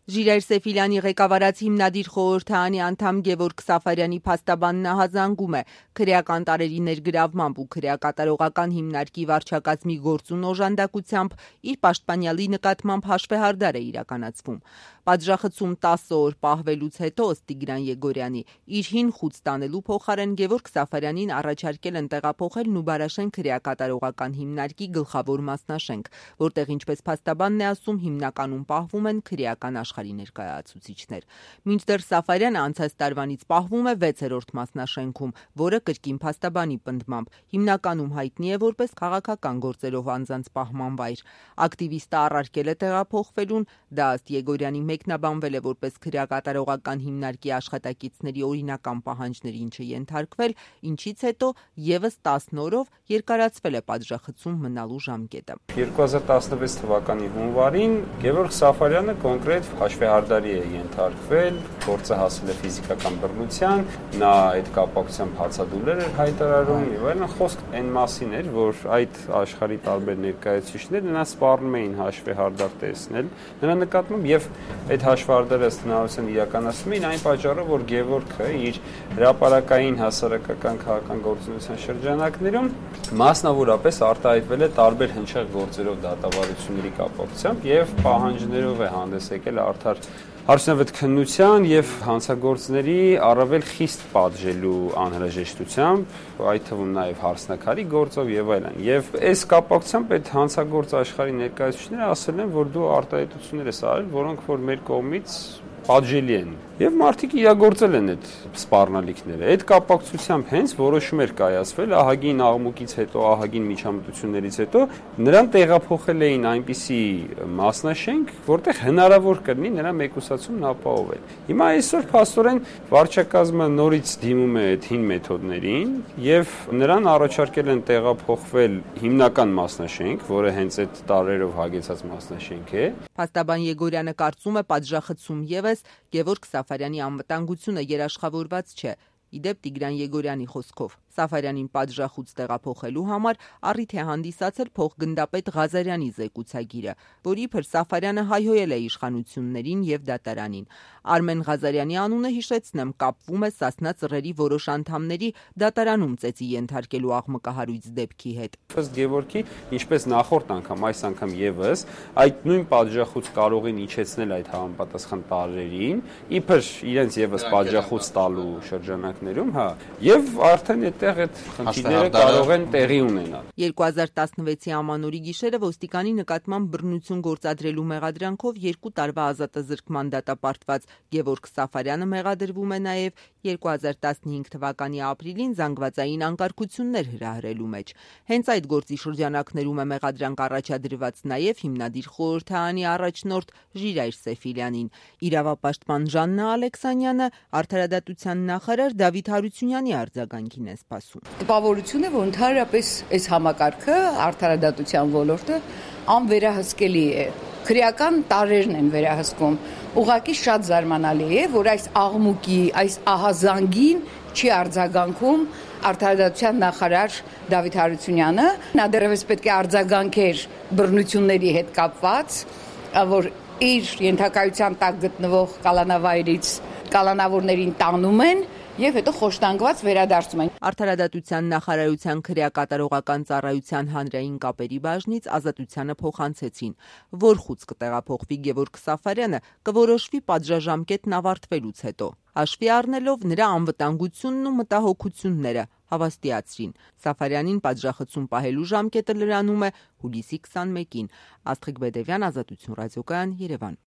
Ժիրայր Սեֆիլյանի ղեկավարած հիմնադիր խորհրդարանի անդամ Գևորգ Սաֆարյանի փաստաբանն ահազանգում է քրեական տարերի ներգրավմամբ ու քրեակատարողական հիմնարկի վարչակազմի գործուն օժանդակությամբ իր պաշտպանյալի նկատմամբ հաշվեհարդար է իրականացվում։ Պատժախցում 10 օր պահվելուց հետո ըստ Տիգրան Եգորյանի իր հին խուծ տանելու փոխարեն Գևորգ Սաֆարյանին առաջարկել են տեղափոխել Նուբարաշեն քրեակատարողական հիմնարկի գլխավոր մասնաշենք, որտեղ ինչպես փաստաբանն է ասում, հիմնականում պահվում են քրեական աշխարհի ներկայացուցիչներ։ Մինչդեռ Սաֆարյանը անցած տարվանից պահվում է 6-րդ մասնաշենքում, որը կրկին փաստաբանի պնդմամբ հիմնականում հայտնի է որպես քաղաքական գործերով անձանց պահման վայր։ Ակտիվիստը առարկել է տեղափոխվելուն, դա ըստ Եգորյանի մեկնաբանվել է որպես քրեակատարողական հիմնարկի աշխատակիցների օրինական պահանջներին չենթարկվել, ինչից հետո եւս 10 օրով երկարացվել է պատժախցում մնալու ժամկետը։ 2016 թվականի հունվարին Գևորգ Սաֆարյանը կոնկրետ հաշվեհարդարի է ենթարկվել, գործը հասել է ֆիզիկական բռնության, նա այդ կապակցությամբ հացադուլեր էր հայտարարում եւ այլն, խոսք այն մասին էր, որ այդ աշխարհի տարբեր ներկայացուցիչներ նրան սպառնում էին հաշվեհարդար տեսնել նրա նկատմամբ եւ այդ հաշվեհարդարը հնարավորության իրականացնում էին այն պատճառով, որ Գևորգը իր հրապարակային հասարակական քաղաքական գործունեության շրջանակներում մասնավորապես արտահայտվել է տարբեր հնչեղ գործերով դատավարությունների կապակցությամբ եւ պահանջներով է հանդես եկել արդար Հարցնավետ քննության եւ հանցագործների առավել խիստ պատժելու անհրաժեշտությամբ, այդ թվում նաեւ հարցնակարի գործով եւ այլն։ Եվ այս կապակցությամբ այդ հանցագործ աշխարհի ներկայացուցիչները ասել են, որ դու արտահայտություններ ես արել, որոնք որ մեր կողմից պատժելի են։ Եվ մարդիկ իրագործել են այդ սպառնալիքները։ Այդ կապակցությամբ հենց որոշում էր կայացվել ահագին աղմուկից հետո, ահագին միջամտություններից հետո նրան տեղափոխել էին այնպիսի մասնաշենք, որտեղ հնարավոր կլինի նրա մեկուսացումն ապահովել։ Հիմա այսօր փաստորեն վարչակազմը նորից դիմում է այդ հին մեթոդներին եւ նրան առաջարկել են տեղափոխվել հիմնական մասնաշենք, որը հենց այդ տարերով հագեցած մասնաշենք է։ Փաստաբան Եգորյանը կարծում է պատժախցում եւս Գևորգ Սաֆարյանի անվտանգությունը երաշխավորված չէ։ Իդեպ Տիգրան Եգորյանի խոսքով Սաֆարյանին պատժախուց տեղափոխելու համար առիթ է հանդիսացել փոխգնդապետ Ղազարյանի զեկուցագիրը, որ իբր Սաֆարյանը հայհոյել է իշխանություններին եւ դատարանին։ Արմեն Ղազարյանի անունը հիշեցնեմ կապվում է Սասնա ծռերի որոշ անդամների դատարանում ծեծի ենթարկելու աղմկահարույց դեպքի հետ։ Ըստ Գևորգի, ինչպես նախորդ անգամ, այս անգամ եւս այդ նույն պատժախուց կարող են իջեցնել այդ համապատասխան տարերին, իբր իրենց եւս պատժախուց տալու շրջանակներում, հա, եւ արդեն այդտեղ այդ խնդիրները կարող են տեղի ունենալ։ 2016-ի ամանորի գիշերը ոստիկանի նկատմամբ բռնություն գործադրելու մեղադրանքով 2 տարվա ազատազրկման դատապարտված Գևորգ Սաֆարյանը մեղադրվում է նաև 2015 թվականի ապրիլին զանգվածային անկարգություններ հրահրելու մեջ։ Հենց այդ գործի շրջանակներում է մեղադրանք առաջադրված նաև հիմնադիր խորհրդարանի առաջնորդ Ժիրայր Սեֆիլյանին։ Իրավապաշտպան Ժաննա Ալեքսանյանը արդարադատության նախարար Դավիթ Հարությունյանի արձագանքին է սպասում։ Տպավորություն է, որ ընդհանրապես այս համակարգը արդարադատության ոլորտը անվերահսկելի է։ Քրեական տարերն են վերահսկում։ Ուղղակի շատ զարմանալի է, որ այս աղմուկի, այս ահազանգին չի արձագանքում արդարադատության նախարար Դավիթ Հարությունյանը։ Նա դեռևս պետք է արձագանքեր բռնությունների հետ կապված, որ իր ենթակայության տակ գտնվող կալանավայրից կալանավորներին տանում են եւ հետո խոշտանգված վերադարձում են։ Արդարադատության նախարարության քրեակատարողական ծառայության հանրային կապերի բաժնից ազատությանը փոխանցեցին, որ խուծ կտեղափոխվի Գևորգ Սաֆարյանը կորոշվի պատժաժամկետն ավարտվելուց հետո, հաշվի առնելով նրա անվտանգությունն ու մտահոգությունները, հավաստիացրին։ Սաֆարյանին պատժախցում պահելու ժամկետը լրանում է հուլիսի 21-ին։ Աստղիկ Բեդևյան, Ազատություն ռադիոկայան, Երևան։